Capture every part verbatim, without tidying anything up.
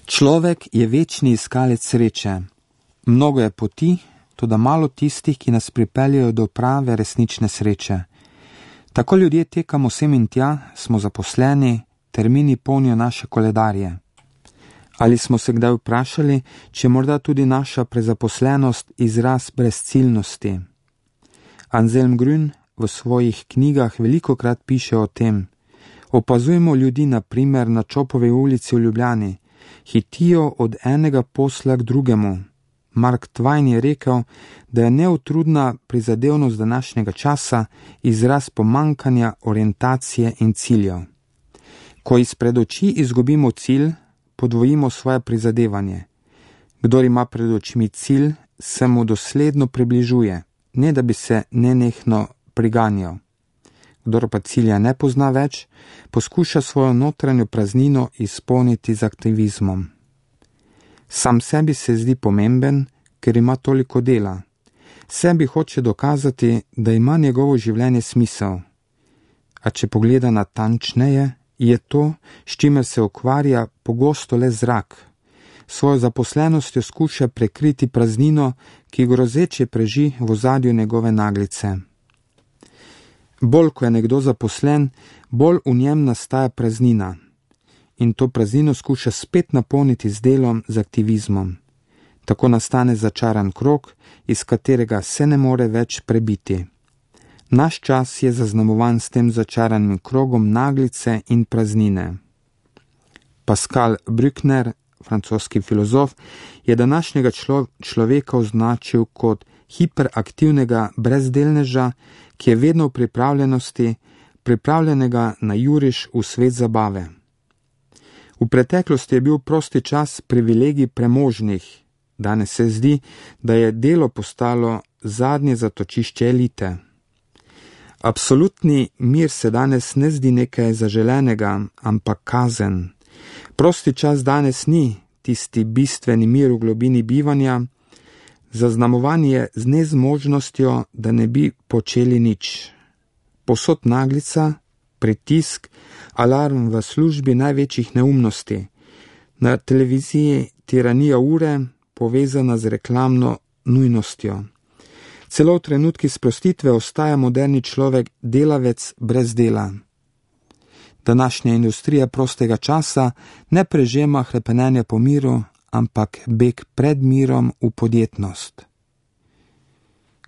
Človek je večni iskalec sreče. Mnogo je poti, toda malo tistih, ki nas pripeljejo do prave resnične sreče. Tako ljudje tekamo sem in tja, smo zaposleni, termini polnijo naše koledarje. Ali smo se kdaj vprašali, če morda tudi naša prezaposlenost izraz brezciljnosti? Anselm Grün v svojih knjigah velikokrat piše o tem. Opazujemo ljudi na primer na Čopovi ulici v Ljubljani. Hitijo od enega posla k drugemu. Mark Twain je rekel, da je neutrudna prizadevnost današnjega časa izraz pomankanja orientacije in ciljev. Ko izpred oči izgubimo cilj, podvojimo svoje prizadevanje. Kdor ima pred očmi cilj, se mu dosledno približuje, ne da bi se nenehno priganjal. Kdor pa cilja ne pozna več, poskuša svojo notranjo praznino izpolniti z aktivizmom. Sam sebi se zdi pomemben, ker ima toliko dela. Sebi hoče dokazati, da ima njegovo življenje smisel. A če pogleda natančneje, je to, s čimer se ukvarja, pogosto le zrak. Svojo zaposlenostjo skuša prekriti praznino, ki grozeče preži v ozadju njegove naglice. Bolj ko je nekdo zaposlen, bolj v njem nastaja praznina. In to praznino skuša spet napolniti z delom, z aktivizmom. Tako nastane začaran krog, iz katerega se ne more več prebiti. Naš čas je zaznamovan s tem začaranim krogom naglice in praznine. Pascal Bruckner, francoski filozof, je današnjega člo, človeka označil kot hiperaktivnega brezdelneža, ki je vedno v pripravljenosti, pripravljenega na juriš v svet zabave. V preteklosti je bil prosti čas privilegij premožnih. Danes se zdi, da je delo postalo zadnje zatočišče elite. Absolutni mir se danes ne zdi nekaj zaželenega, ampak kazen. Prosti čas danes ni tisti bistveni mir v globini bivanja, zaznamovan je z nezmožnostjo, da ne bi počeli nič. Posod naglica, pritisk, alarm v službi največjih neumnosti. Na televiziji tiranija ure, povezana z reklamno nujnostjo. Celo v trenutki sprostitve ostaja moderni človek delavec brez dela. Današnja industrija prostega časa ne prežema hrepenenja po miru, ampak beg pred mirom v podjetnost.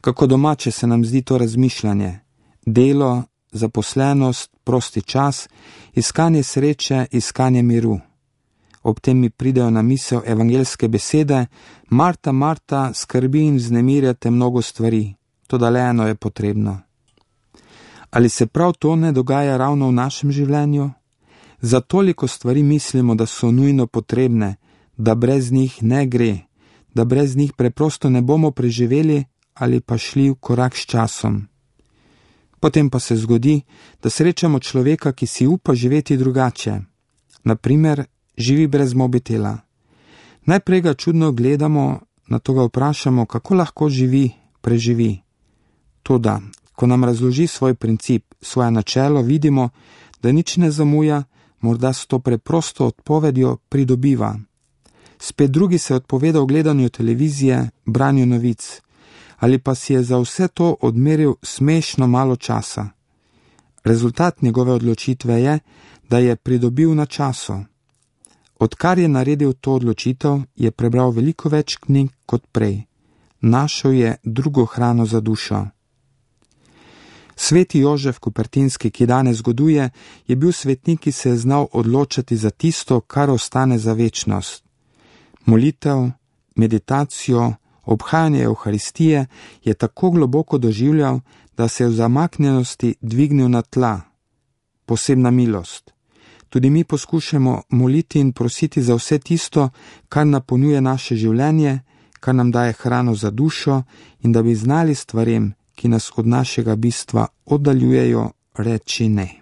Kako domače se nam zdi to razmišljanje? Delo, zaposlenost, prosti čas, iskanje sreče, iskanje miru. Ob tem mi pridejo na misel evangelske besede: Marta, Marta, skrbi in vznemirjate mnogo stvari, toda le eno je potrebno. Ali se prav to ne dogaja ravno v našem življenju? Za toliko stvari mislimo, da so nujno potrebne, da brez njih ne gre, da brez njih preprosto ne bomo preživeli ali pa šli v korak s časom. Potem pa se zgodi, da srečamo človeka, ki si upa živeti drugače. Naprimer, živi brez mobitela. Najprej ga čudno gledamo, nato ga vprašamo, kako lahko živi, preživi. Toda, ko nam razloži svoj princip, svoje načelo, vidimo, da nič ne zamuja, morda s to preprosto odpovedjo pridobiva. Spet drugi se odpoveda gledanju televizije, branju novic, ali pa si je za vse to odmeril smešno malo časa. Rezultat njegove odločitve je, da je pridobil na času. Odkar je naredil to odločitev, je prebral veliko več knjig kot prej. Našel je drugo hrano za dušo. Sveti Jožef Kupertinski, ki danes zgoduje, je bil svetnik, ki se je znal odločati za tisto, kar ostane za večnost. Molitev, meditacijo, obhajanje Evharistije je tako globoko doživljal, da se je v zamaknjenosti dvignil na tla. Posebna milost. Tudi mi poskušamo moliti in prositi za vse tisto, kar napolnjuje naše življenje, kar nam daje hrano za dušo, in da bi znali stvarem, ki nas od našega bistva oddaljujejo, reči ne.